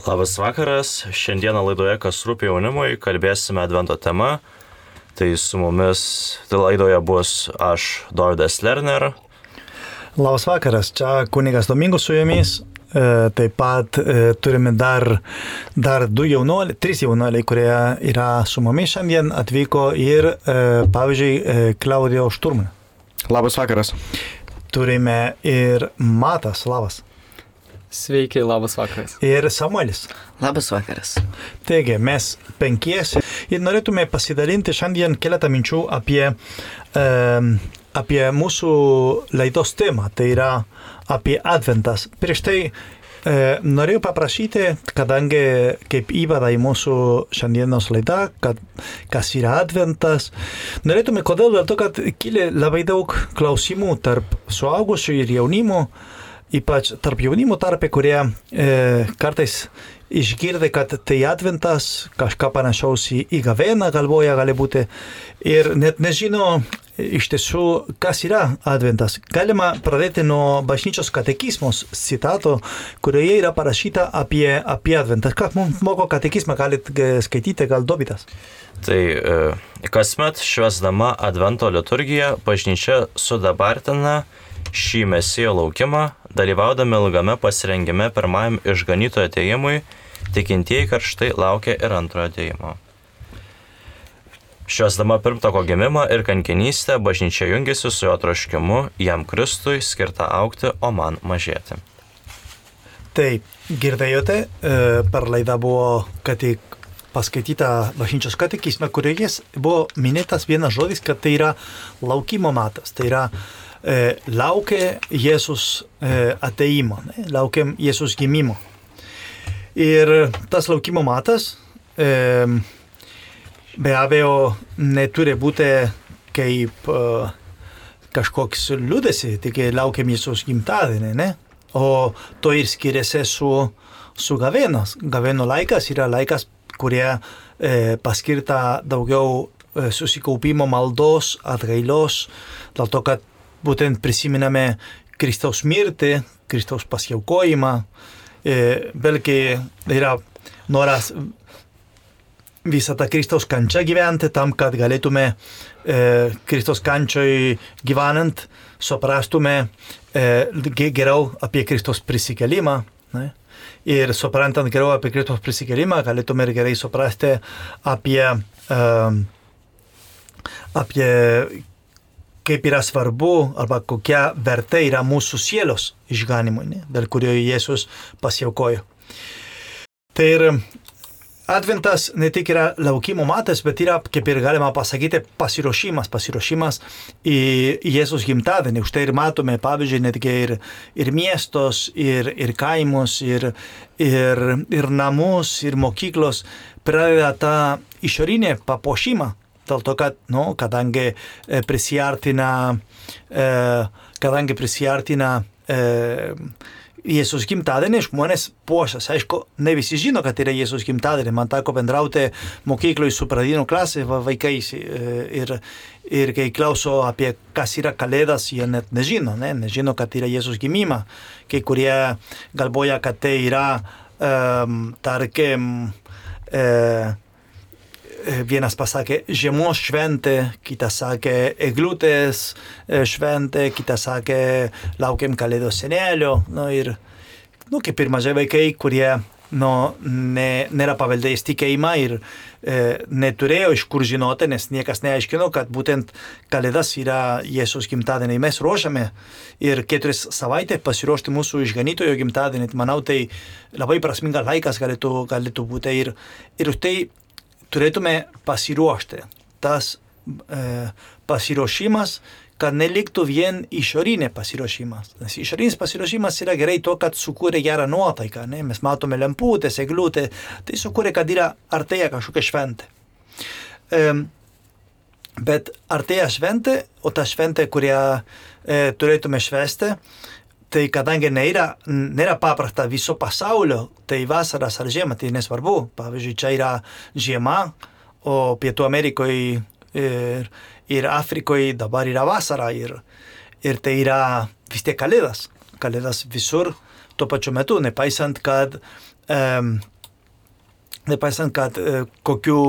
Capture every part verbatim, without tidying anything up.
Labas vakaras, šiandieną laidoje Kas rūpi jaunimui kalbėsime Advento tema. Tai su mumis tai laidoje bus aš, Dovydas Lerner. Labas vakaras, čia kunigas Domingo su jumis. E, taip pat e, turime dar, dar du jaunuoliai, trys jaunuoliai, kurie yra su mumis šiandien atvyko ir, e, pavyzdžiui, e, Klaudijo Šturmanė. Labas vakaras. Turime ir Matas, labas. Sveiki, labas vakaras. Ir Samuelis. Labas vakaras. Taigi, mes penkiesi ir norėtume pasidalinti šiandien keletą minčių apie, um, apie mūsų laidos temą, tai yra apie Adventas. Prieš tai e, norėjau paprašyti, kadangi kaip įvada į mūsų šiandienos laidą, kad kas yra Adventas, norėtume kodėl dėl to, kad kilė labai daug klausimų tarp suaugusių ir jaunimo, ypač tarp jaunimo tarpe, kurie e, kartais išgirdę, kad tai Adventas, kažką panašaus į, į gavėną galvoja gali būti ir net nežino iš tiesų, kas yra Adventas. Galima pradėti nuo bažnyčios katekizmos citato, kurioje yra parašyta apie, apie Adventą. Ką mums moko katekizmą, galit skaityti, gal Dovydas? Tai e, kasmet švęsdama Advento liturgiją bažnyčia sudabartina šį mesijo laukimą, dalyvaudami ilgame pasirengime pirmajam išganytojo atėjimui, tikintieji karštai laukia ir antrojo atėjimo. Švęsdama pirmtako gimimą ir kankinystę, bažnyčia jungiasi su jo troškimu, jam Kristui skirta augti, o man mažėti. Taip, girdėjote, per laidą buvo, kad tik paskaityta bažnyčios katekizme, kurioje buvo minėtas vienas žodis, kad tai yra laukimo metas, tai yra e, laukia Jėzus e, ateimo, ne? Laukiam Jėzus gimimo. Ir tas laukimo metas e, be abejo neturi būti kaip uh, kažkoks liūdesį, tik laukiam Jėzus gimtadienį, ne? O to ir skiriasi su, su gavėnos. Gavėno laikas yra laikas, kurie e, paskirta daugiau e, susikaupimo maldos, atgailos, dėl to, kad būtent prisiminame Kristaus mirtį, Kristaus pasiaukojimą, e, vėlgi yra noras visą tą Kristaus kančią gyventi, tam, kad galėtume e, Kristaus kančioj gyvenant, suprastume e, geriau apie Kristaus prisikėlimą. Ne? Ir suprantant geriau apie Kristaus prisikėlimą, galėtume ir gerai suprasti apie, e, apie kaip yra svarbu arba kokia vertė yra mūsų sielos išganimui, ne? Dėl kurio Jėzus pasiaukojo. Tai ir Adventas ne tik yra laukimo metas, bet yra, kaip ir galima pasakyti, pasiruošimas, pasiruošimas į Jėzus gimtadienį. Už tai ir matome, pavyzdžiui, netgi ir, ir miestos, ir, ir kaimus, ir, ir, ir namus, ir mokyklos pradeda tą išorinę papuošimą. Dėl to, kad, nu, kadangi prisiartina, kadangi prisiartina Jėzus gimtadienį, žmonės puošas. Aišku, ne visi žino, kad yra Jėzus gimtadienį. Man teko bendrauti mokykloj su pradinių klasė vaikais ir, ir kai klauso apie kas yra kalėdas, jie net nežino, ne? Nežino, kad yra Jėzus gimimą. Kai kurie galvoja, kad tai yra, um, tarkim, uh, vienas pasakė žiemos šventė, kitas sakė eglutės šventė, kitas sakė laukiam kalėdos senelio. Nu, ir, nu, kaip ir mažai vaikai, kurie nu, ne, nėra paveldėjęs tikėjimą ir e, neturėjo iš kur žinoti, nes niekas neaiškino, kad būtent kalėdas yra Jėzus gimtadienį. Mes ruošiame ir keturias savaitės pasiruošti mūsų išganytojo gimtadienį. Manau, tai labai prasmingas laikas galėtų, galėtų būti ir, ir už tai turėtume pasiruošti. Tas e, pasiruošimas, kad neliktų vien išorinė pasiruošimas. Nes išorinis pasiruošimas yra gerai to, kad sukūrė gerą nuotaiką. Ne? Mes matome lemputės, eglutė, tai sukūrė, kad yra artėja kažkokia šventė. E, bet artėja šventė, o ta šventė, kurią e, turėtume švęsti, tai kadangi nėra, nėra paprasta viso pasaulio, tai vasaras ar žiema, tai nesvarbu. Pavyzdžiui, čia yra žiema, o Pietų Amerikoje ir, ir Afrikoje dabar yra vasara ir, ir tai yra vis tiek kalėdas. Kalėdas visur tuo pačiu metu, nepaisant, kad um, nepaisant, kad uh, kokiu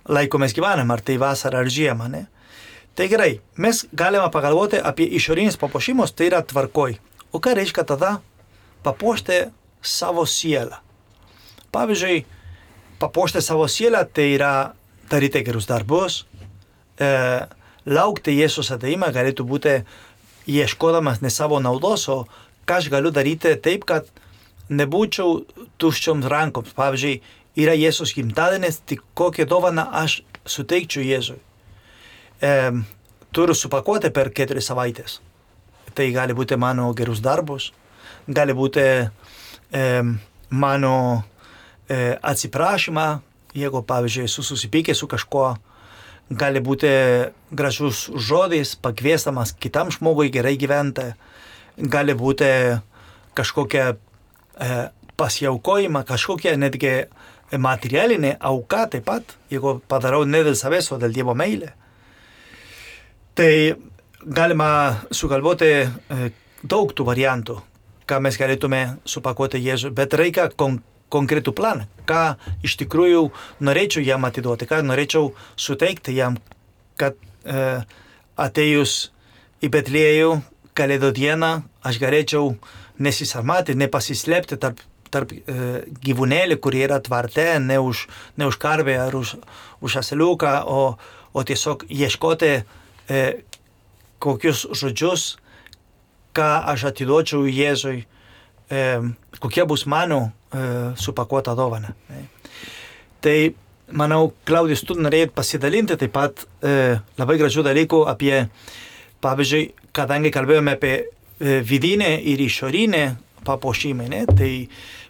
laiku mes gyvename, ar tai vasara ar žiemą, ne? Tai gerai, mes galime pagalvoti apie išorinis papuošimus, tai yra tvarkoj. O ką reiškia tada papuošti savo sielą? Pavyzdžiui, papuošti savo sielą tai yra daryti gerus darbus, e, laukti Jėzus ateimą galėtų būti ieškodamas ne savo naudos, o ką aš galiu daryti taip, kad nebūčiau tuščioms rankoms. Pavyzdžiui, yra Jėzus gimtadienis, tik kokią dovaną aš suteikčiau Jėzui. E, turiu supakuoti per keturias savaitės. Tai gali būti mano gerus darbus, gali būti e, mano e, atsiprašymą, jeigu, pavyzdžiui, esu susipykęs su kažkuo, gali būti gražus žodis, pakviestamas kitam žmogui gerai gyventi, gali būti kažkokia e, pasiaukojimą, kažkokia netgi materialinė auka taip pat, jeigu padarau ne dėl savęs, o dėl Dievo meilė. Tai galima sugalvoti e, daug tų variantų, ką mes galėtume supakuoti Jėzui, bet reikia kon- konkretų planą, ką iš tikrųjų norėčiau jam atiduoti, ką norėčiau suteikti jam, kad e, atėjus į Betliejų Kalėdų dieną aš galėčiau nesisarmati, nepasislėpti tarp, tarp e, gyvūnėlį, kurie yra tvarte, ne už, ne už karvę ar už, už asiliuką, o, o tiesiog ieškoti e, kokius žodžius, ką aš atiduočiau Jėzui, e, kokia bus mano e, supakuota dovana. E. Tai, manau, Klaudijus, tu norėjai pasidalinti taip pat e, labai gražių dalykų apie, pavyzdžiui, kadangi kalbėjome apie e, vidinę ir išorinę papuošimą, ne, tai,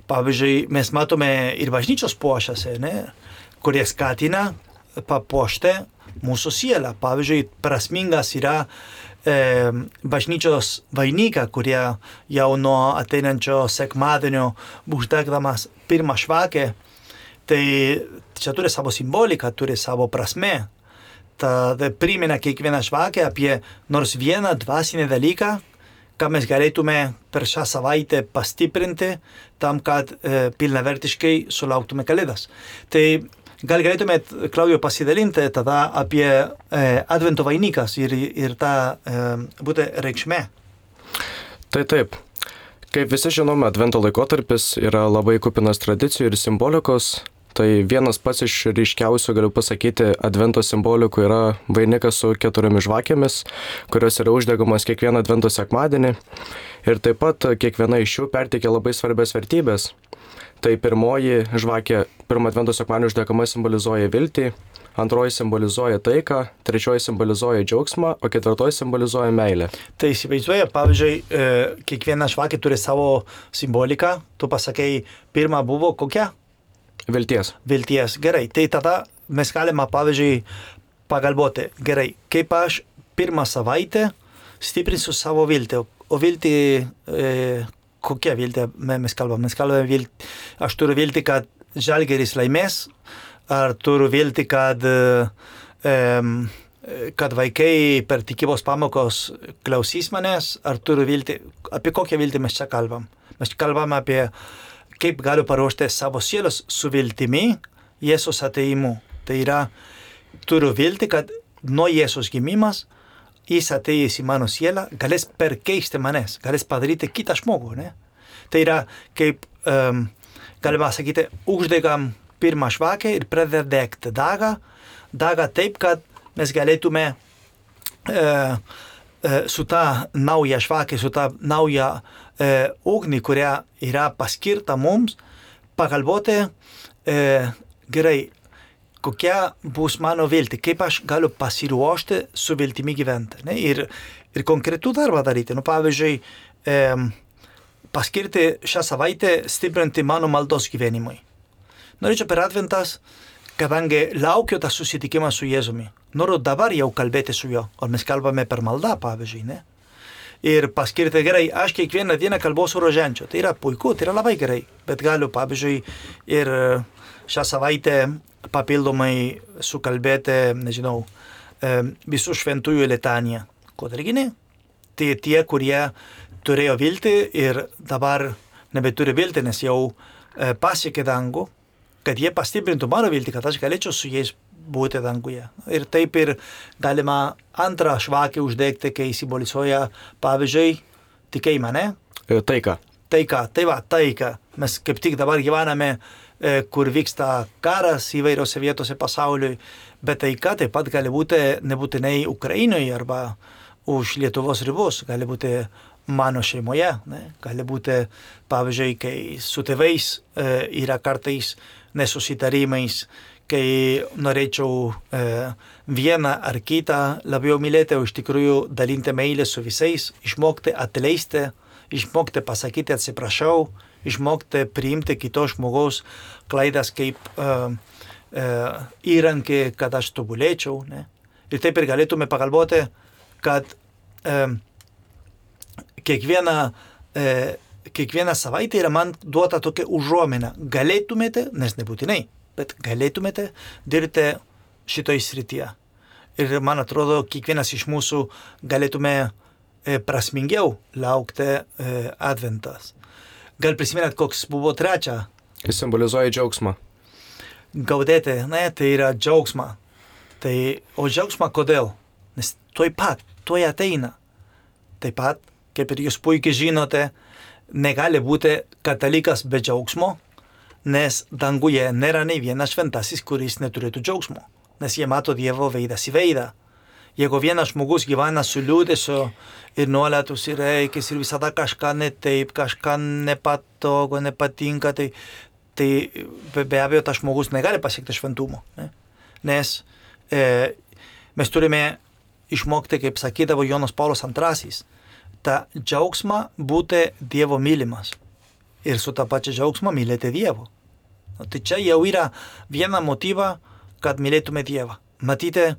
pavyzdžiui, mes matome ir bažnyčios puošiasi, ne, kurie skatina papuošti mūsų sielą. Pavyzdžiui, prasmingas yra e, bažnyčios vainiką, kurie jau nuo ateinančio sekmadienio uždegdamas pirmą švakę, tai čia turi savo simboliką, turi savo prasmę. Tad primena kiekvieną švakę apie nors vieną dvasinį dalyką, ką mes galėtume per šią savaitę pastiprinti tam, kad e, pilnavertiškai sulauktume Kalėdas. Tai gal galėtumėt, Klaudijo, pasidalinti tada apie e, Advento vainikas ir, ir tą e, būtent reikšmę. Tai taip. Kaip visi žinome, Advento laikotarpis yra labai kupinas tradicijų ir simbolikos. Tai vienas pats iš ryškiausių, galiu pasakyti, Advento simbolikų yra vainikas su keturiomis žvakėmis, kurios yra uždegamos kiekvieną Advento sekmadienį. Ir taip pat kiekviena iš jų perteikia labai svarbias vertybės. Tai pirmoji žvakė, pirmą Advento sekmadienį uždegama simbolizuoja viltį, antroji simbolizuoja taiką, trečioji simbolizuoja džiaugsmą, o ketvirtoji simbolizuoja meilę. Tai įsivaizduoja, pavyzdžiui, e, kiekviena žvakė turi savo simboliką. Tu pasakei, pirma buvo kokia? Vilties. Vilties, gerai. Tai tada mes galime, pavyzdžiui, pagalvoti, gerai, kaip aš pirmą savaitę stiprinsiu savo viltį. O viltį, e, kokia viltė mes kalbame? Mes kalbame viltį, aš turiu viltį, kad Žalgiris laimės, ar turiu viltį, kad, e, kad vaikai per tikybos pamokos klausys manęs, ar turiu viltį, apie kokią viltį mes čia kalbam? Mes kalbam apie kaip galiu paruošti savo sielos su viltimi Jėzus ateimu. Tai yra, turiu viltį, kad nuo Jėzus gimimas jis atėjęs į mano sielą galės perkeisti manęs, galės padaryti kitą žmogų. Ne? Tai yra, kaip um, galima sakyti, uždegam pirmą žvakę ir pradeda degti dagą, dagą taip, kad mes galėtume uh, uh, su tą naują žvakę, su tą naują E, ugnį, kuria yra paskirta mums, pagalvoti, e, gerai, kokia bus mano viltį, kaip aš galiu pasiruošti su viltimi gyventi. Ne? Ir, ir konkretų darbą daryti. Nu, pavyzdžiui, e, paskirti šią savaitę stiprinti mano maldos gyvenimui. Norėčiau per Adventas, kadangi laukiu tą susitikimą su Jėzumi. Noriu dabar jau kalbėti su juo. O mes kalbame per maldą, pavyzdžiui, ne? Ir paskirti, gerai, aš kiekvieną dieną kalbosiu rožančiu. Tai yra puiku, tai yra labai gerai. Bet galiu, pavyzdžiui, ir šią savaitę papildomai sukalbėti, nežinau, visų šventųjų litaniją. Kodėlgi ne? Tai tie, kurie turėjo viltį ir dabar nebeturi viltį, nes jau e, pasiekė dangų, kad jie pastiprintų mano viltį, kad aš galėčiau su jais būti danguje. Ir taip ir galima antrą žvakę uždegti, kai simbolizuoja, pavyzdžiui, tikėjimą, ne? E, Taika. Taika, tai va, taika. Mes kaip tik dabar gyvename, e, kur vyksta karas įvairiose vietose pasauliui, bet taika taip pat gali būti nebūtinai Ukrainoje arba už Lietuvos ribos, gali būti mano šeimoje, ne? Gali būti, pavyzdžiui, kai su tėvais e, yra kartais nesusitarimais, kai norėčiau e, vieną ar kitą labiau mylėti, o iš tikrųjų dalinti meilę su visais, išmokti atleisti, išmokti pasakyti atsiprašau, išmokti priimti kitos žmogaus klaidas kaip uh, uh, įrankį, kad aš tobulėčiau. Ne? Ir taip ir galėtume pagalvoti, kad uh, kiekviena, uh, kiekviena savaitė yra man duota tokia užuomina. Galėtumėte, nes nebūtinai, bet galėtumėte dirbti šitoj srityje. Ir man atrodo, kiekvienas iš mūsų galėtume prasmingiau laukti e, adventas. Gal prisimenat, koks buvo trečia? Jis simbolizuoja džiaugsmą. Gaudėti, ne, tai yra džiaugsma. Tai, o džiaugsma kodėl? Nes tuoj pat, tuoj ateina. Taip pat, kaip ir jūs puikiai žinote, negali būti katalikas be džiaugsmo, nes danguje nėra nei vienas šventasis, kuris neturėtų džiaugsmo. Nes jie mato Dievo veidas į veidą. Jeigu vienas žmogus gyvena su liūdėsiu ir nuolat užsireikis ir visada kažką ne taip, kažką nepatogo, nepatinka, tai, tai be abejo tas žmogus negali pasiekti šventumo. Ne? Nes e, mes turime išmokti, kaip sakydavo Jonas Paulius antrasis, tą džiaugsmą būti Dievo mylimas ir su tą pačią džiaugsmą mylėti Dievo. O tai čia jau yra viena motyva, kad mylėtume Dievą. Matyti,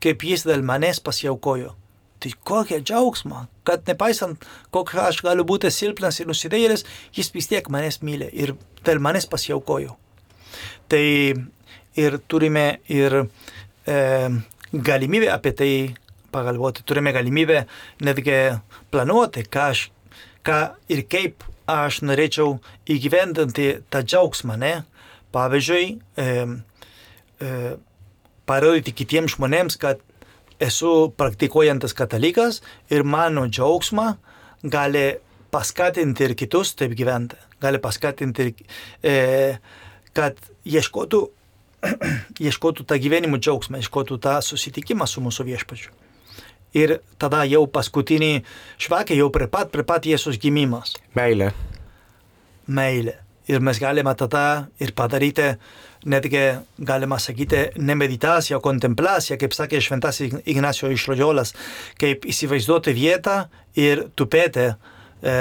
kaip jis dėl manęs pasiaukojo. Tai kokia džiaugsma, kad nepaisant, koks aš galiu būti silpnas ir nusidėjėlis, jis vis tiek manęs myli ir dėl manęs pasiaukojo. Tai ir turime ir e, galimybę apie tai pagalvoti, turime galimybę netgi planuoti, ką, aš, ką ir kaip aš norėčiau įgyvendinti tą džiaugsmą, ne? Pavyzdžiui, e, e, parodyti kitiems žmonėms, kad esu praktikuojantis katalikas ir mano džiaugsmą gali paskatinti ir kitus taip gyventi. Gali paskatinti, e, kad ieškotų, ieškotų tą gyvenimo džiaugsmą, ieškotų tą susitikimą su mūsų viešpačiu. Ir tada jau paskutinį žvakę, jau prie pat, prie pat Jėzus gimimas. Meilė. Meilė. Ir mes galime tada ir padaryti, netgi galima sakyti, ne meditaciją, o kontemplaciją, kaip sakė šventasis Ignacio iš Loyolos, kaip įsivaizduoti vietą ir tupėti, e,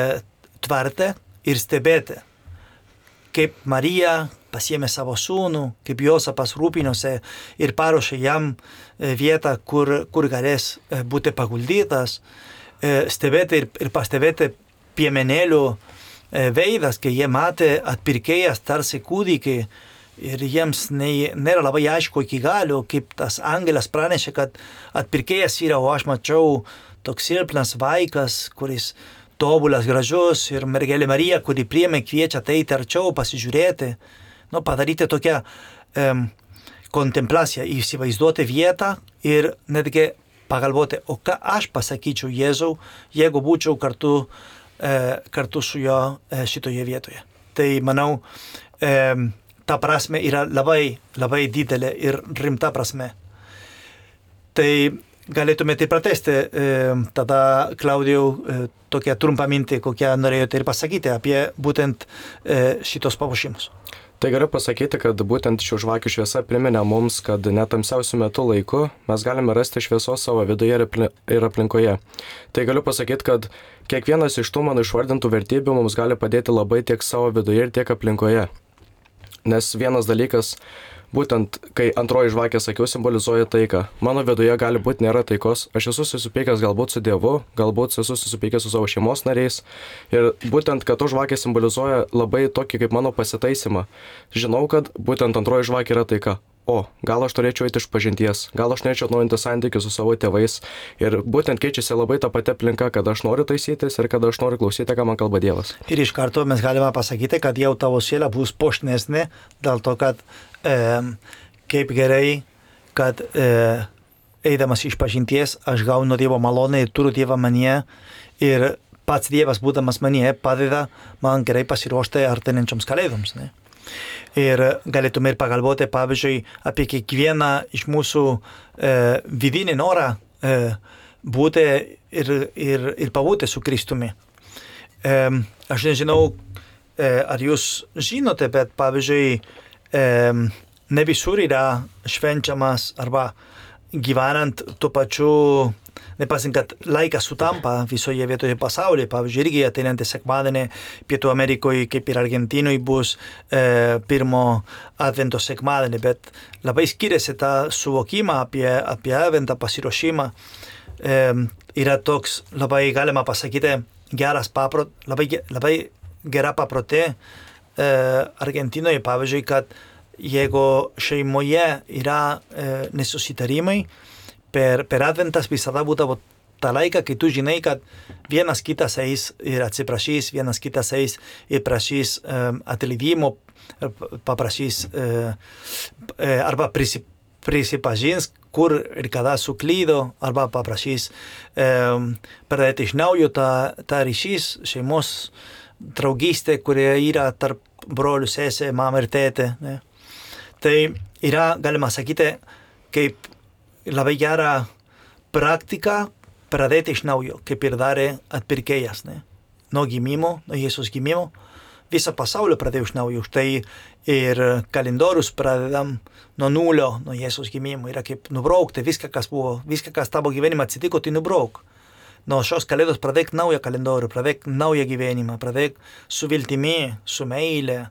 tvarti ir stebėti. Kaip Marija pasiėmė savo sūnų, kaip Jozapas rūpinosi ir paruošė jam vietą, kur, kur galės būti paguldytas, e, stebėti ir, ir pastebėti piemenėlių veidas, kai jie matė atpirkėjas tarsi kūdikį ir jiems ne, nėra labai aišku iki galo, kaip tas angelas pranešė, kad atpirkėjas yra, o aš mačiau toks silpnas vaikas, kuris tobulas, gražus ir mergelė Marija, kuri priėmė, kviečia ateiti arčiau, pasižiūrėti, nu, padaryti tokią um, kontemplaciją, įsivaizduoti vietą ir netgi pagalvoti, o ką aš pasakyčiau Jėzau, jeigu būčiau kartu kartu su jo šitoje vietoje. Tai manau, ta prasme yra labai, labai didelė ir rimta prasme. Tai galėtumėte pratesti tada, Klaudijau, tokią trumpą mintį, kokią norėjote ir pasakyti apie būtent šitos papuošimus. Tai galiu pasakyti, kad būtent šių žvakių šviesa priminė mums, kad net tamsiausiu metu laiku mes galime rasti šviesos savo viduje ir aplinkoje. Tai galiu pasakyti, kad kiekvienas iš tų mano išvardintų vertybių mums gali padėti labai tiek savo viduje ir tiek aplinkoje. Nes vienas dalykas, būtent kai antroji žvakė, sakiau, simbolizuoja taiką. Mano viduje gali būti nėra taikos, aš esu susipykęs galbūt su Dievu, galbūt esu susipykęs su savo šeimos nariais. Ir būtent, kad to žvakė simbolizuoja labai tokį kaip mano pasitaisymą. Žinau, kad būtent antroji žvakė yra taika. o, gal aš turėčiau eiti iš pažinties, gal aš norėčiau atnaujinti santykius su savo tėvais. Ir būtent keičiasi labai ta pati aplinka, kad aš noriu taisytis ir kad aš noriu klausyti, ką man kalba Dievas. Ir iš karto mes galime pasakyti, kad jau tavo siela bus puošnesnė, dėl to, kad e, kaip gerai, kad e, eidamas iš pažinties aš gaunu Dievo malonę ir turiu Dievą manyje ir pats Dievas būdamas manyje padeda man gerai pasiruošti artėjančioms kalėdoms. Ne? Ir galėtume ir pagalvoti, pavyzdžiui, apie kiekvieną iš mūsų e, vidinį norą e, būti ir, ir, ir pabūti su Kristumi. E, aš nežinau, e, ar jūs žinote, bet pavyzdžiui, e, ne visur yra švenčiamas arba gyvenant tuo pačiu, nepasint, kad laikas sutampa visoje vietoje pasaulyje. Pavyzdžiui, irgi ateinantį sekmadienį Pietų Amerikoje, kaip ir Argentinoje, bus e, pirmo advento sekmadienį, bet labai skiriasi tą suvokimą apie, apie adventą pasiruošimą. E, yra toks, labai galima pasakyti, geras paprot, labai, labai gera paprotė e, Argentinoje, pavyzdžiui, kad jeigu šeimoje yra e, nesusitarimai, Per, per adventas visada būdavo tą laiką, kai tu žinai, kad vienas kitas eis ir atsiprašys, vienas kitas eis ir prašys um, atleidimo, paprašys uh, arba prisip, prisipažins, kur ir kada suklydo, arba paprašys um, pradėti iš naujo tą, tą ryšys, šeimos draugystė, kurie yra tarp brolių, sesė, mama ir tėtė. Ne? Tai yra, galima sakyti, kaip labai gera praktika pradėti iš naujo, kaip ir darė atpirkėjas, ne? Nuo gimimo, nuo Jėzus gimimo, visą pasaulio pradėjo iš naujo. Štai ir kalendorius pradedam nuo nulio, nuo Jėzus gimimo. Yra kaip nubraukti viską, kas buvo, viską, kas tavo gyvenime atsitiko, tai nubrauk. Nuo šios kalėdos pradėk naują kalendorių, pradėk naują gyvenimą, pradėk su viltimi, su meile.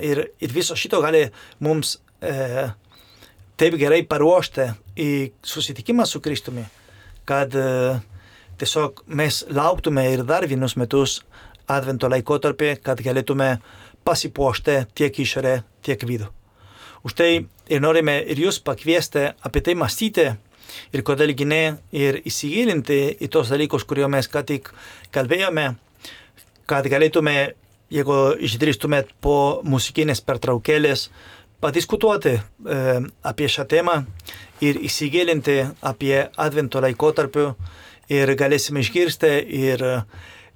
Ir, ir viso šito gali mums e, taip gerai paruošti į susitikimą su Kristumi, kad uh, tiesiog mes lauktume ir dar vienus metus advento laikotarpį, kad galėtume pasipuošti tiek išorę, tiek vidų. Už tai ir norime ir jūs pakviesti apie tai mąstyti ir kodėlgi ne, ir įsigilinti į tos dalykus, kuriuo mes ką tik kalbėjome, kad galėtume, jeigu išdrįstumėt po muzikinės pertraukėlės, padiskutuoti e, apie šią temą ir įsigilinti apie advento laikotarpiu ir galėsime išgirsti ir,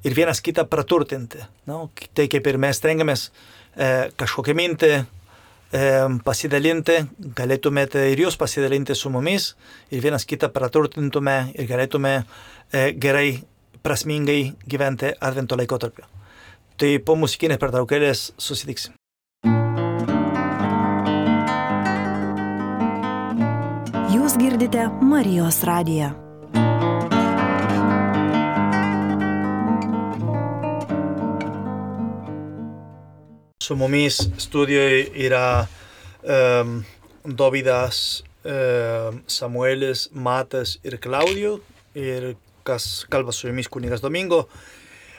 ir vienas kitą praturtinti. No? Tai kaip ir mes stengiamės e, kažkokią mintį e, pasidalinti, galėtumėte ir jūs pasidalinti su mumis ir vienas kitą praturtintume ir galėtume e, gerai, prasmingai gyventi advento laikotarpiu. Tai po muzikinės pertraukėlės susitiksim. Jūs girdite Marijos radiją. Su mumis studijoje yra um, Dovydas, um, Samuelis, Matas ir Klaudijo, ir kas kalba su jumis kunigas Domingo.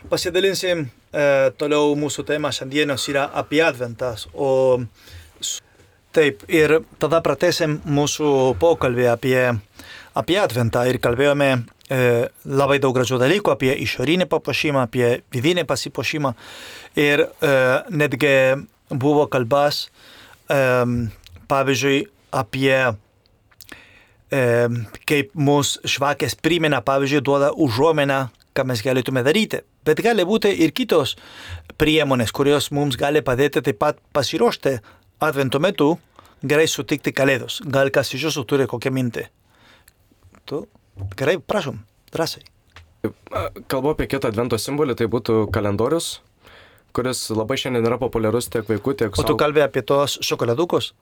Pasidalinsim uh, toliau mūsų tema šiandienos yra apie adventas, o taip, ir tada pratęsim mūsų pokalbį apie, apie adventą ir kalbėjome e, labai daug gražių dalykų apie išorinį papuošimą, apie vidinį pasipuošimą ir e, netgi buvo kalbas, e, pavyzdžiui, apie e, kaip mūsų žvakės primena, pavyzdžiui, duoda užuomeną, ką mes galėtume daryti. Bet gali būti ir kitos priemonės, kurios mums gali padėti taip pat pasiruošti advento metu gerai sutikti kalėdos. Gal kas iš jūsų turi kokią mintį? Tu? Gerai, prašom, drąsiai. Kalbu apie kitą advento simbolį, tai būtų kalendorius, kuris labai šiandien yra populiarus tiek vaikų, tiek suaugusių. O tu kalbė apie tos šokoladukus?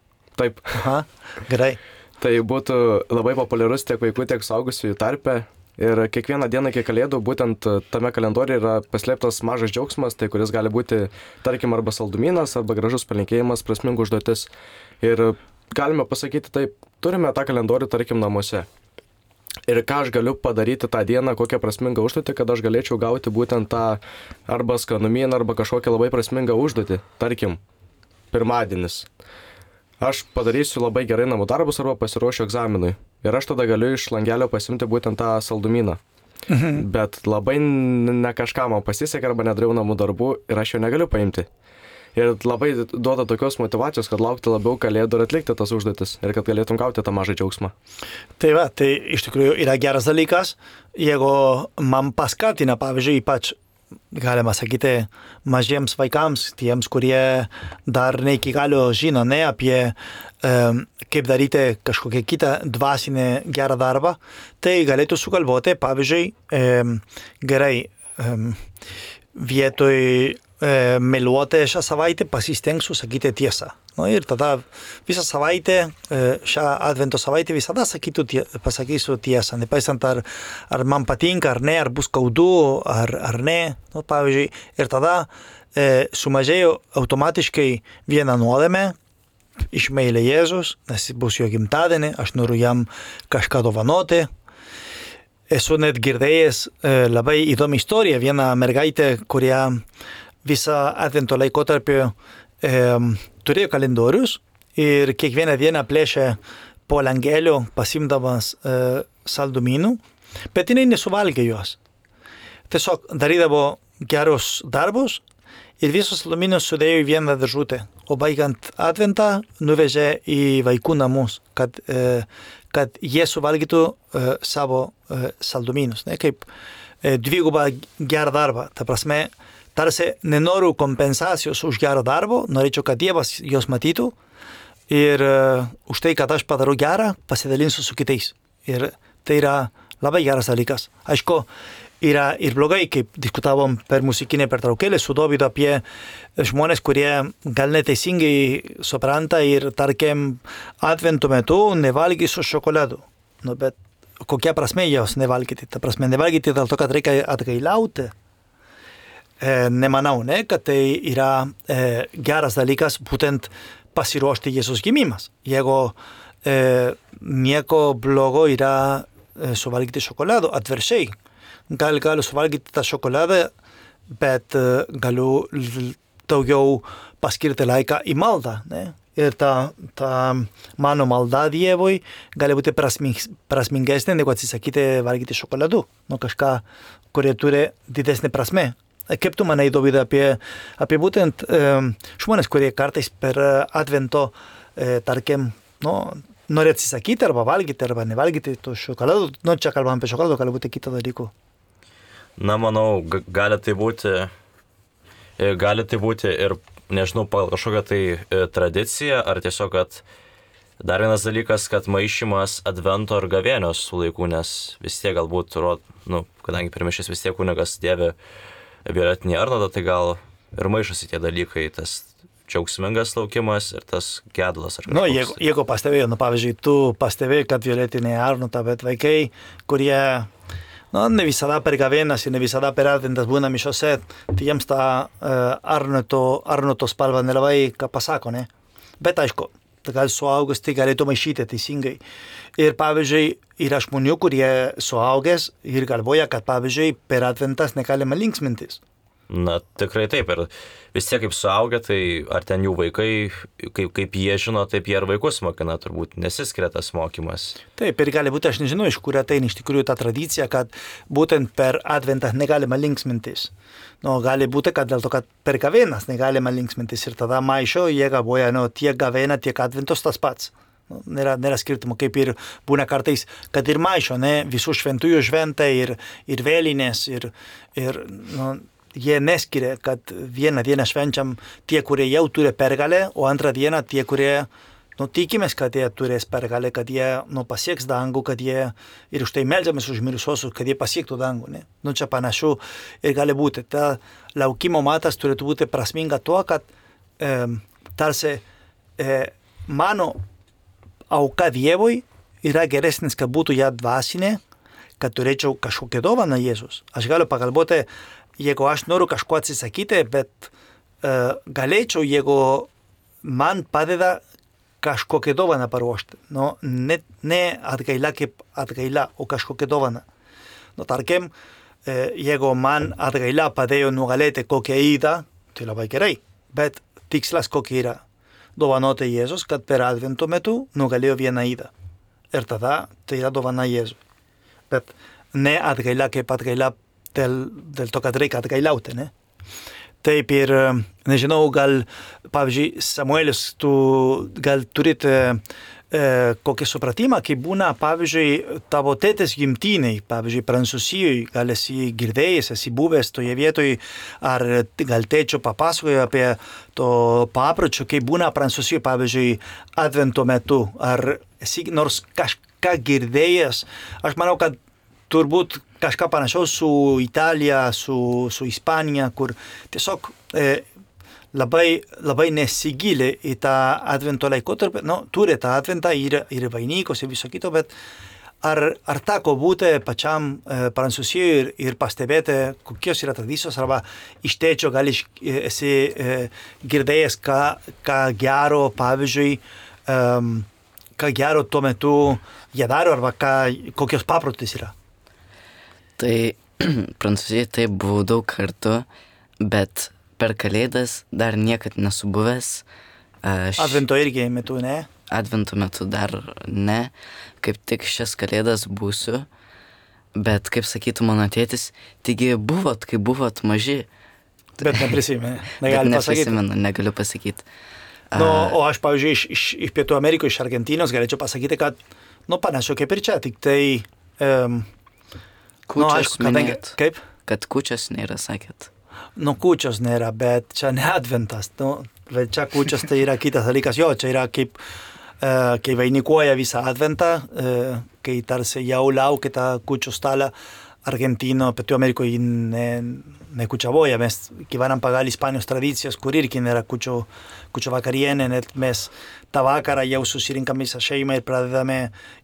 Taip. Aha, gerai. Tai būtų labai populiarus tiek vaikų, tiek suaugusiųjų tarpe. Ir kiekvieną dieną iki kalėdų būtent tame kalendoriuje yra paslėptas mažas džiaugsmas, tai kuris gali būti, tarkim, arba saldumynas, arba gražus palinkėjimas, prasmingų užduotis. Ir galime pasakyti taip, turime tą kalendorių, tarkim, namuose. Ir ką aš galiu padaryti tą dieną, kokią prasmingą užduotį, kad aš galėčiau gauti būtent tą arba skanumyną, arba kažkokią labai prasmingą užduotį. Tarkim, pirmadienis. aš padarysiu labai gerai namų darbus arba pasiruošiu egzaminui. Ir aš tada galiu iš langelio pasimti būtent tą saldumyną. Mhm. Bet labai ne kažką man pasisekė arba nedariau namų darbų ir aš jo negaliu paimti. Ir labai duoda tokios motyvacijos, kad laukti labiau kalėdų ir atlikti tas užduotis ir kad galėtum gauti tą mažą džiaugsmą. Tai va, tai iš tikrųjų yra geras dalykas, jeigu man paskatina, pavyzdžiui, ypač galima sakyti mažiems vaikams, tiems, kurie dar ne iki galo žino ne, apie um, kaip daryti kažkokią kitą dvasinę gerą darbą, tai galėtų sugalvoti, pavyzdžiui, um, gerai, um, vietoj um, meluoti šią savaitę pasistengsiu sakyti tiesą. Nu, ir tada visą savaitę, šią advento savaitę visada sakytų, tie, pasakysiu tiesą, nepaisant ar, ar man patinka, ar ne, ar bus skaudu, ar, ar ne. Nu, pavyzdžiui, ir tada e, sumažėjo automatiškai vieną nuodėmę, iš meilė Jėzus, nes bus jo gimtadienį, aš noriu jam kažką dovanoti. Esu net girdėjęs e, labai įdomi istorija, viena mergaitė, kurie visą advento laikotarpį e, turėjo kalendorius ir kiekvieną dieną plėšė po langelio pasimdamas e, saldumynų, bet jinai nesuvalgė juos. Tiesiog darydavo gerus darbus ir visus saldumynus sudėjo į vieną dėžutę, o baigiant adventą nuvežė į vaikų namus, kad, e, kad jie suvalgytų e, savo e, saldumynus, ne, kaip e, dvigubą gerą darbą. Ta prasme, tarsi nenoriu kompensacijos už gerą darbą, norėčiau, kad Dievas jos matytų ir uh, už tai, kad aš padarau gerą, pasidalinsiu su kitais. Ir tai yra labai geras dalykas. Aišku, yra ir blogai, kaip diskutavom per muzikinę pertraukėlę su Dovydu apie žmonės, kurie gal neteisingai supranta ir, tarkim, advento metu nevalgys su šokoladu. Nu, bet kokia prasme jos nevalgyti? Ta prasme, nevalgyti dėl to, kad reikia atgailauti. E, nemanau, ne, kad tai yra e, geras dalykas būtent pasiruošti Jėzus gimimas. Jeigu e, nieko blogo yra e, suvalgyti šokolado, atvirkščiai. Gal galiu suvalgyti tą šokoladą, bet e, galiu daugiau paskirti laiką į maldą. Ne? Ir ta, ta mano malda Dievui gali būti prasming, prasmingesnė negu atsisakyti valgyti šokoladu. Nu, kažką, kurie turi didesnį prasmę. Kaip tu manai, Dovydai, apie, apie būtent e, žmonės, kurie kartais per advento, e, tarkim, nu, nori atsisakyti arba valgyti, arba nevalgyti tų šokoladų, nu, čia kalbam apie šokoladą, gali būti kitą dalykų. Na, manau, g- gali tai būti, gali tai būti ir, nežinau, kažkokia tai e, tradicija, ar tiesiog, kad dar vienas dalykas, kad maišymas advento ir gavėnios su laiku, nes vis tiek galbūt, nu, kadangi per mišias vis tiek kunigas dėvi violetinį arnodą, tai gal ir maišosi tie dalykai, tas džiaugsmingas laukimas ir tas gedulas. Nu, jeigu, jeigu pastebėjau, nu, pavyzdžiui, tu pastebėjai, kad violetinė arnota, bet vaikai, kurie, nu, ne visada per gavėnas ir ne visada per adventas būna mišiose, tai jiems tą uh, arnoto, arnoto spalva nelabai ką pasako, ne? Bet aišku, gal suaugęs tai galėtų maišyti teisingai. Ir pavyzdžiui, yra žmonių, kurie suaugęs ir galvoja, kad pavyzdžiui, per adventas negalima linksmintis. Na, tikrai taip. Ir vis tiek kaip suaugę, tai ar ten jų vaikai, kaip, kaip jie žino, taip jie ir vaikus mokina, turbūt nesiskiria tas mokymas. Taip, ir gali būti, aš nežinau, iš kur ateina iš tikrųjų ta tradicija, kad būtent per adventą negalima linksmintis. Nu, gali būti, kad dėl to, kad per gavėnas negalima linksmintis ir tada maišo, jie galvoja, nu, tiek gavėna, tiek adventos tas pats. Nu, nėra, nėra skirtumo, kaip ir būna kartais, kad ir maišo, ne, visų šventųjų šventą ir, ir vėlinės ir, ir nu, jie neskiria, kad vieną dieną švenčiam tie, kurie jau turi pergalę, o antrą dieną tie, kurie, nu, tikimės, kad jie turės pergalę, kad jie, nu, pasieks dangų, kad jie, ir už tai meldžiamės už mirusiuosius, kad jie pasiektų dangų, ne. Nu, čia panašu ir gali būti. Ta laukimo matas turėtų būti prasminga tuo, kad e, tarsi e, mano auka Dievui yra geresnis, kad būtų ją dvasinė, kad turėčiau kažkokią dovaną Jėzus. Aš galiu pagalvoti, jeigu aš noriu kažko atsisakyti, bet uh, galėčiau, jeigu man padeda kažkokią dovaną paruošti. Nu, ne, ne atgaila kaip atgaila, o kažkokią dovaną. Nu, tarkim, uh, jeigu man atgaila padėjo nugalėti kokią įdą, tai labai gerai, bet tikslas kokia yra. dovanota Jėzus, kad per Advento metu nugalėjo vieną ydą. Ir tada tai yra dovana Jėzui. Bet ne atgaila kaip atgaila dėl, dėl to, kad reikia atgailiauti, ne? Taip ir, nežinau, gal, pavyzdžiui, Samuelis, tu gal turite e, kokį supratimą, kai būna, pavyzdžiui, tavo tėtės gimtiniai, pavyzdžiui, Prancūzijoje, gal esi girdėjęs, esi buvęs toje vietoje, ar gal tėčio papasakojo apie to papročio, kai būna Prancūzijoje, pavyzdžiui, Advento metu, ar esi nors kažką girdėjęs. Aš manau, kad turbūt kažką panašaus su Italija, su, su Ispanija, kur tiesiog e, labai, labai nesigilė į tą Advento laikotarpį. Nu, turi tą Adventą ir, ir vainikos ir viso kito, bet ar, ar teko būti pačiam e, Prancūzijoje ir, ir pastebėti, kokios yra tradicijos, arba iš tėčio gal iš, esi e, girdėjęs, ką, ką gero, pavyzdžiui, e, ką gero tuo metu jie daro, arba ką, kokios paprotis yra. Tai Prancūzijoje taip buvau daug kartų, bet per Kalėdas dar niekad nesu buvęs. Aš... Advento irgi metu, ne? Advento metu dar ne, kaip tik šias Kalėdas būsiu, bet kaip sakytų mano tėtis, taigi buvot, kai buvot maži. Bet neprisimenu, negali pasakyti. Neprisimenu, negaliu pasakyti. No, o aš, pavyzdžiui, iš, iš, iš Pietų Amerikos, iš Argentinos galėčiau pasakyti, kad, nu, panašu kaip ir čia, tik tai... Um, Kūčios nu, aišku, kadangi, minėt, kaip? kad kūčios nėra, sakėt. Nu, kūčios nėra, bet čia ne Adventas. Nu, bet čia kūčios tai yra kitas dalykas. Jo, čia yra kaip, uh, kai vainikuoja visą Adventą, uh, kai tarsi jau laukia tą kūčių stalą. Argentino, Pietų Amerikoje ne, nekučiavoja, mes gyvenam pagal Ispanijos tradicijas, kur irgi nėra kūčių, kūčių vakarienė, net mes tą vakarą jau susirinkam visą šeimą ir pradedame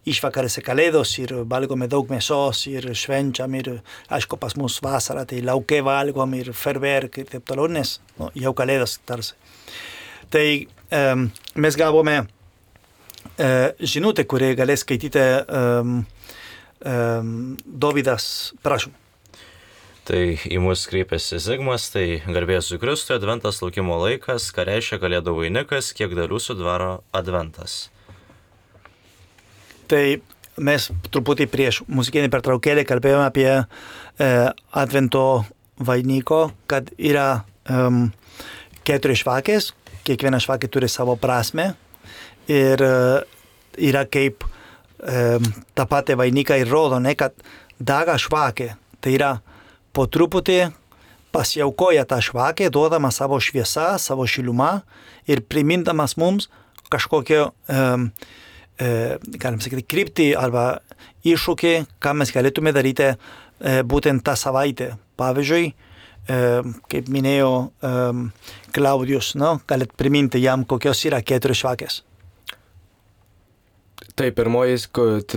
išvakarėse Kalėdos ir valgome daug mėsos ir švenčiam ir, aišku, pas mus vasarą, tai lauke valgom ir ferverk ir taip toliau, nes nu, jau Kalėdos tarsi. Tai um, mes gavome uh, žinutę, kurį galės skaityti um, Um, Dovydas, prašom. Tai į mus kreipiasi Zigmas, tai garbės su Kristui, Adventas laukimo laikas, ką reiškia Kalėdų vainikas, kiek dalių sudaro Adventas. Tai mes truputį prieš muzikinį pertraukėlį kalbėjome apie e, Advento vainiko, kad yra um, keturi švakės, kiekviena švakė turi savo prasmę ir uh, yra kaip tą patį vainiką ir rodo, ne, kad daga švakė, tai yra po truputį pasiaukoja tą švakę, duodama savo šviesą, savo šilumą ir primindamas mums kažkokio, um, uh, galim sakyti, kryptį arba iššūkį, ką mes galėtume daryti uh, būtent tą savaitę. Pavyzdžiui, uh, kaip minėjo um, Klaudijus, no, galit priminti jam, kokios yra keturios švakės. Tai pirmoji,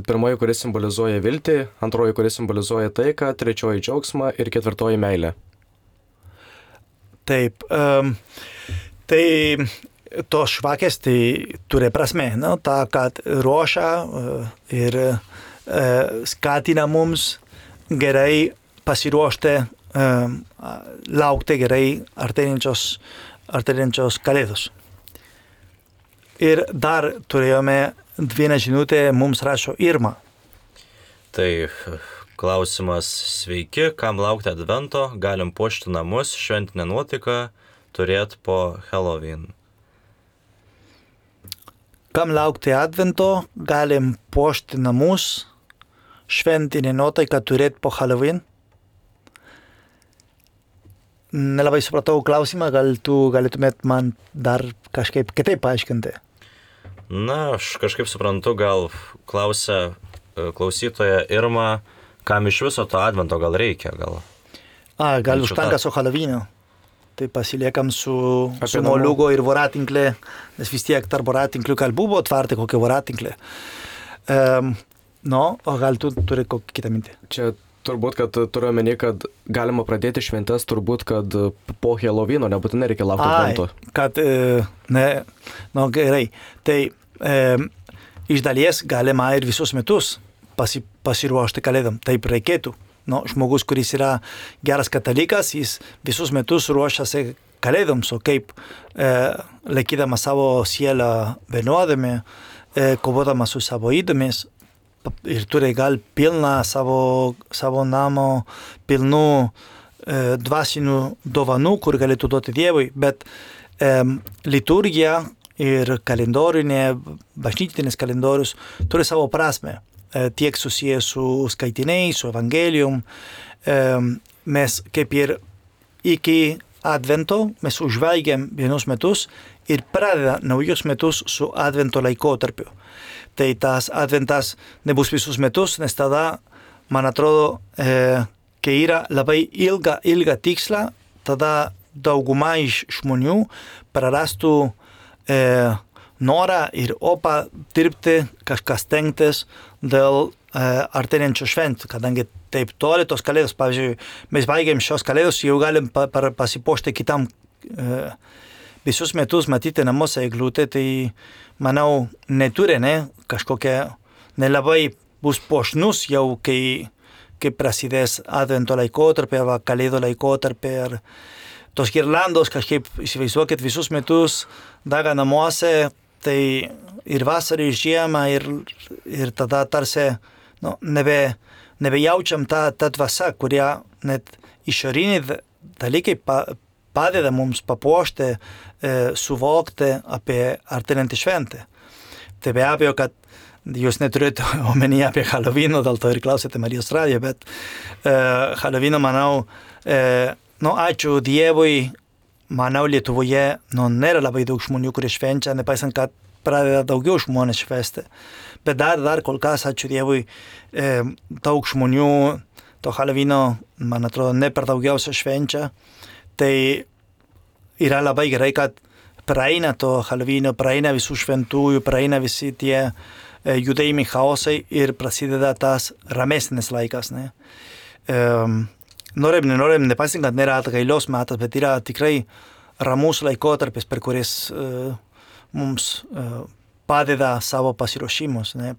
pirmoji, kuris simbolizuoja viltį, antroji, kuris simbolizuoja taiką, trečioji džiaugsmą ir ketvirtoji meilė. Taip, um, tai tos švakės tai turi prasme, no? Ta, kad ruošia uh, ir uh, skatina mums gerai pasiruošti, uh, laukti gerai artėjančios, artėjančios Kalėdos. Ir dar turėjome vieną žinutę, mums rašo Irma. Tai klausimas, sveiki, kam laukti Advento, galim puošti namus, šventinę nuotaiką turėti po Halloween. Kam laukti Advento, galim puošti namus, šventinę nuotaiką turėti po Halloween. Nelabai supratau klausimą, gal tu galėtumėt man dar kažkaip kitaip paaiškinti. Na, aš kažkaip suprantu, gal klausia klausytoja Irma, kam iš viso to Advento gal reikia, gal. A, gal užtenka su Halloween'u. Tai pasiliekam su, su moliūgo ir voratinklė, nes vis tiek tarp voratinklių gal buvo tvarti kokią voratinklę. Um, no, o gal tu turi kokį kitą mintį? Čia turbūt, kad turiu omeny, kad galima pradėti šventes turbūt, kad po Halloweeno nebūtinai reikia laukti Advento. Ai, kad, e, ne, no gerai, tai e, iš dalies galima ir visus metus pasi, pasiruošti Kalėdom, taip reikėtų. No, žmogus, kuris yra geras katalikas, jis visus metus ruošiasi kalėdoms, o kaip e, laikydama savo sielą vienodami, e, kovodama su savo įdomis ir turi gal pilną savo, savo namo, pilnų e, dvasinių dovanų, kur galėtų duoti Dievui, bet e, liturgija ir kalendorinė, bažnytinis kalendorius turi savo prasme, e, tiek susijęs su skaitiniais, su evangelijum. E, mes kaip ir iki Advento mes užvelgiam vienus metus ir pradeda naujus metus su Advento laikotarpiu. Tai tas Adventas nebus visus metus, nes tada, man atrodo, e, kai yra labai ilga, ilga tiksla, tada dauguma iš žmonių prarastų e, norą ir opą dirbti, kažkas stengtis dėl e, artėjančių šventų, kadangi taip toli tos kalėdos, pavyzdžiui, mes baigiam šios kalėdos, jau galim pa, pa, pasipuošti kitam e, visus metus matyti namuose eglutę, tai manau neturi, ne, kažkokia nelabai bus puošnus jau, kai, kai prasidės Advento laikotarpį arba kalėdų laikotarpį, ar tos girlandos kažkaip įsivaizduokit visus metus daga namuose, tai ir vasarą, ir žiemą, ir, ir tada tarsi nu, nebe nebejaučiam tą, tą dvasą, kurie net išoriniai dalykai pa, padeda mums papuošti, e, suvokti apie artėjantį šventę. Tai be abejo, kad jūs neturite omenyje apie Halloweeną, dėl to ir klausėte Marijos radijo, bet e, Halloweeną, manau, e, nu, ačiū Dievui, manau, Lietuvoje nu, nėra labai daug žmonių, kurie švenčia, nepaisant, kad pradeda daugiau žmonės švęsti. Bet dar, dar kol kas, ačiū Dievui, e, daug žmonių to Halloweeno, man atrodo, ne per daugiausia švenčia. Tai yra labai gerai, kad praeina to Halloweeno, praeina visų šventųjų, praeina visi tie e, judėjimai chaosai ir prasideda tas ramesnis laikas. Ne? E, norim, nenorim, nepaisant, kad nėra atgailos metas, bet yra tikrai ramus laikotarpis, per kuris e, mums e, padeda savo pasiruošimus, ne,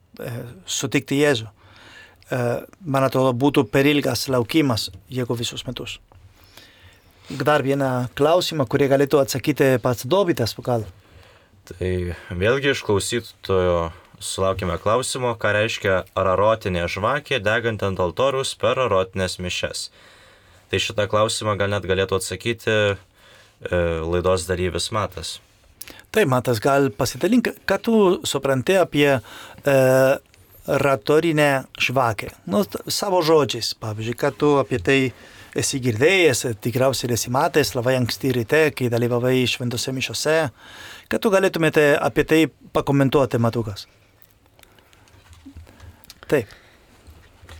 sutikti Jėzų. Man atrodo, būtų per ilgas laukimas, jeigu visus metus. Dar vieną klausimą, kurį galėtų atsakyti pats Dovydas, gal. Tai vėlgi iš klausytojo sulaukime klausimo, ką reiškia ararotinė žvakė degant ant altoriaus per ararotinės mišias. Tai šitą klausimą gal net galėtų atsakyti e, laidos dalyvis Matas. Tai, Matas, gal pasidalink, ką tu supranti apie e, ratorinę žvakę. Nu, savo žodžiais, pavyzdžiui, ką tu apie tai esi girdėjęs, tikriausiai esi matęs labai anksti ryte, kai dalyvavai šventose mišiose. Ką tu galėtumėte apie tai pakomentuoti, Matukas? Taip.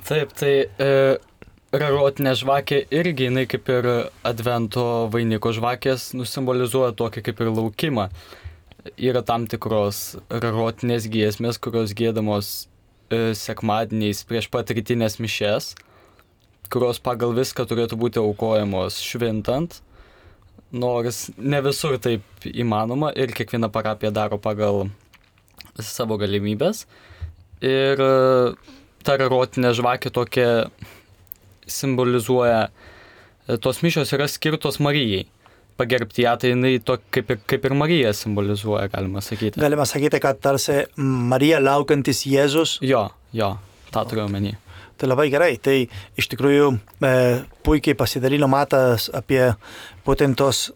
Taip, tai e, rarotinė žvakė irgi, jinai kaip ir Advento vainiko žvakės, nusimbolizuoja tokį kaip ir laukimą. Yra tam tikros rarotinės giesmės, kurios giedamos e, sekmadieniais prieš pat rytinės mišias, kurios pagal viską turėtų būti aukojamos švintant, nors ne visur taip įmanoma ir kiekviena parapija daro pagal savo galimybės. Ir e, ta rarotinė žvakė tokia simbolizuoja, tos mišios yra skirtos Marijai. Pagerbti ją, tai jinai to, kaip, ir, kaip ir Marija simbolizuoja, galima sakyti. Galima sakyti, kad tarsi Marija laukiantis Jėzus. Jo, jo, tą turiu omeny. Tai labai gerai. Tai iš tikrųjų e, puikiai pasidalino Matas apie būtent tos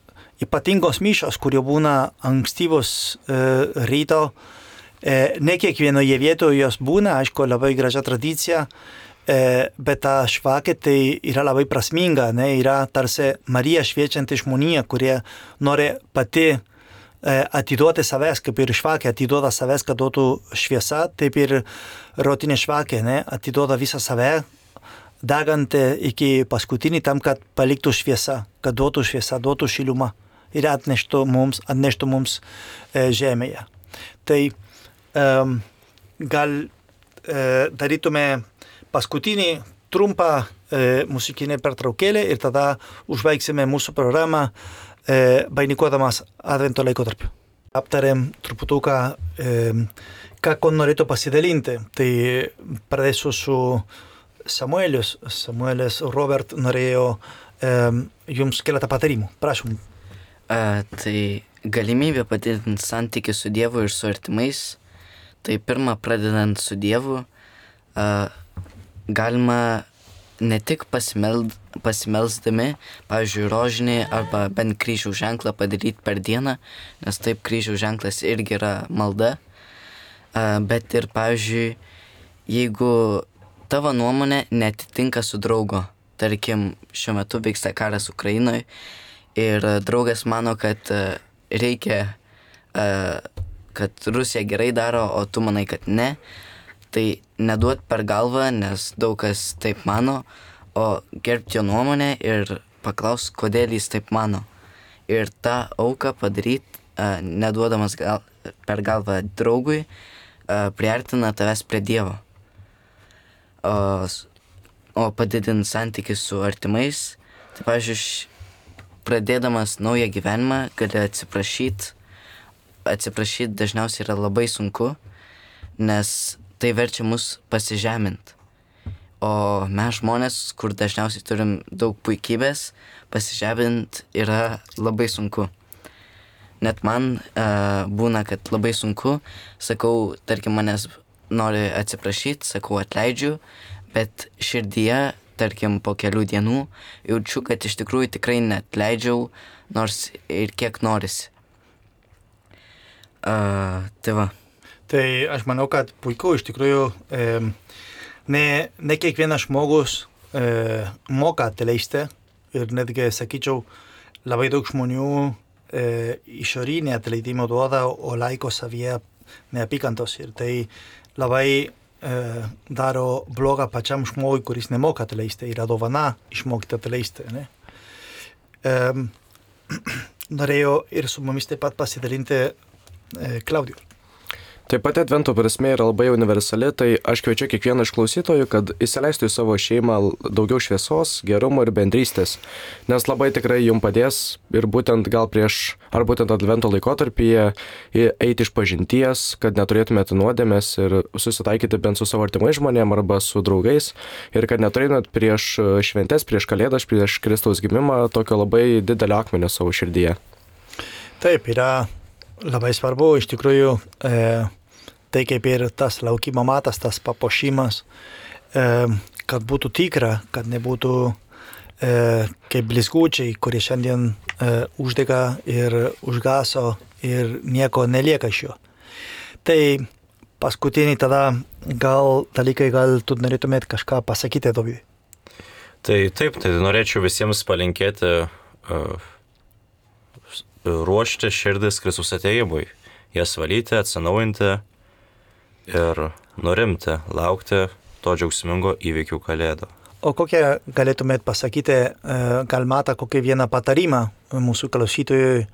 ypatingos mišios, kurie būna ankstyvos e, ryto. E, ne kiekvienoje vietoje jos būna, aišku, labai gražia tradicija. E, bet ta žvakė tai yra labai prasminga, ne? Yra tarsi Marija šviečianti žmonija, kurie nori pati e, atiduoti savęs, kaip ir žvakė atiduoda savęs, kad duotų šviesa, taip ir rarotinė žvakė, ne? Atiduoda visą save, degant iki paskutinį tam, kad paliktų šviesa, kad duotų šviesa, duotų šilumą ir atneštų mums, atneštų mums e, žemėje. Tai e, gal e, darytume paskutinį trumpą e, muzikinę pertraukėlę ir tada užbaigsime mūsų programą e, vainikuodamas Advento laikotarpiu. Aptarėm truputuką, e, ką ko norėtų pasidalinti. Tai pradėsiu su Samuelius. Samuelis Robert norėjo e, jums keletą patarimų. Prašom. A, tai galimybė padidinti santykį su Dievu ir su artimais. Tai pirma, pradedant su Dievu, a, galima ne tik pasimeld, pasimelsdami, pavyzdžiui, rožinį arba bent kryžiaus ženklą padaryti per dieną, nes taip kryžiaus ženklas irgi yra malda, a, bet ir, pavyzdžiui, jeigu tavo nuomonė netitinka su draugo, tarkim, šiuo metu vyksta karas Ukrainoje ir draugas mano, kad a, reikia, a, kad Rusija gerai daro, o tu manai, kad ne, tai neduot per galvą, nes daug kas taip mano, o gerbti jo nuomonę ir paklaus, kodėl jis taip mano. Ir tą auką padaryti, uh, neduodamas gal, per galvą draugui, uh, priartina tavęs prie Dievo. O, o padidinti santykius su artimais, tai, pavyzdžiui, pradėdamas naują gyvenimą, gali atsiprašyti. Atsiprašyti dažniausiai yra labai sunku, nes tai verčia mus pasižeminti. O mes žmonės, kur dažniausiai turim daug puikybės, pasižeminti yra labai sunku. Net man uh, būna, kad labai sunku, sakau, tarkim, manęs nori atsiprašyti, sakau, atleidžiu, bet širdyje, tarkim, po kelių dienų jaučiu, kad iš tikrųjų tikrai neatleidžiau, nors ir kiek norisi. Uh, tai va. Tai aš manau, kad puiku iš tikrųjų e, ne, ne kiekvienas žmogus e, moka atleisti ir netgi, sakyčiau, labai daug žmonių e, išorinį atleidimą duoda, o laiko savyje neapykantos ir tai labai e, daro blogą pačiam žmogui, kuris nemoka atleisti, yra dovana išmokti atleisti. Ne? E, norėjau ir su mumis taip pat pasidalinti e, Klaudijus. Taip pat advento prasmė yra labai universali, tai aš kviečiu kiekvieną iš klausytojų, kad įsileistų į savo šeimą daugiau šviesos, gerumo ir bendrystės, nes labai tikrai jums padės ir būtent gal prieš, ar būtent advento laikotarpyje eiti iš pažinties, kad neturėtumėte nuodėmės ir susitaikyti bent su savo artimais žmonėm arba su draugais ir kad neturėtumėte prieš šventes, prieš kalėdas, prieš Kristaus gimimą tokio labai didelio akmenio savo širdyje. Taip, yra labai svarbu, iš tikrųjų, e, tai kaip ir tas laukimo matas, tas papuošimas, e, kad būtų tikra, kad nebūtų e, kaip blizgučiai, kurie šiandien e, uždega ir užgaso ir nieko nelieka iš jo. Tai paskutinį tada gal dalykai, gal tu norėtumėt kažką pasakyti, Dovydai? Tai taip, tai norėčiau visiems palinkėti uh, ruošti širdis Kristaus atėjimui, jas valyti, atsinaujinti ir nurimti, laukti to džiaugsmingo įvykių kalėdų. O kokią galėtumėt pasakyti, gal matą kokį vieną patarimą mūsų klausytojui,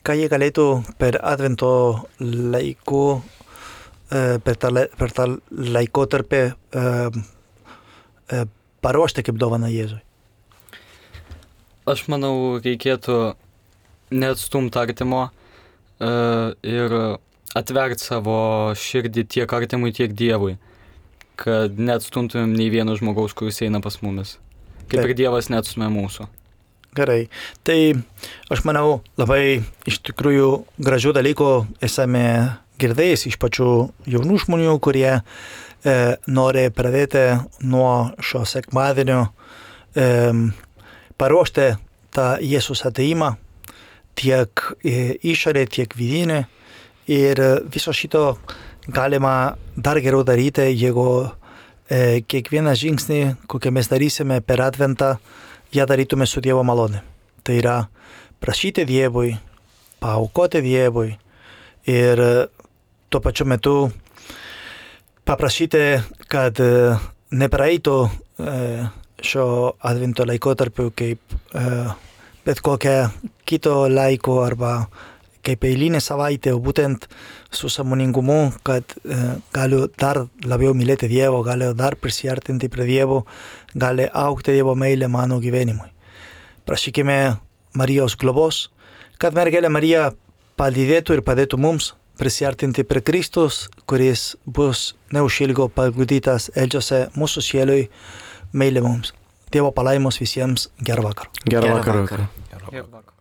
ką jie galėtų per advento laiku, per tą, per tą laikotarpį paruošti kaip dovaną Jėzui? Aš manau, reikėtų neatstumti artimo uh, ir atverti savo širdį tiek artimui, tiek Dievui, kad neatstumtumėm nei vieno žmogaus, kuris eina pas mumis. Kaip Taip. Ir Dievas neatstumė mūsų. Gerai. Tai aš manau, labai iš tikrųjų gražių dalykų esame girdėjęs iš pačių jaunų žmonių, kurie e, nori pradėti nuo šio sekmadienio e, paruošti tą Jėzus atėjimą, tiek išorė, tiek vidinė. Ir viso šito galima dar geriau daryti, jeigu e, kiekvieną žingsnį, kokią mes darysime per adventą, ją darytume su Dievo malonė. Tai yra prašyti Dievui, paaukoti Dievui ir tuo pačiu metu paprašyti, kad e, nepraeitų e, šio advento laikotarpiu kaip e, bet kokią kito laiko arba kaip eilinė savaitė, o būtent su sąmoningumu, kad e, galiu dar labiau mylėti Dievo, galiu dar prisiartinti prie Dievo, gali augti Dievo meilė mano gyvenimui. Prašykime Marijos globos, kad mergelė Marija palydėtų ir padėtų mums prisiartinti prie Kristus, kuris bus neužilgo paguldytas eldžiose mūsų sielui, meilė mums. Dievo palaimos visiems, gerą vakarą. Gerą vakarą. Gerą vakarą.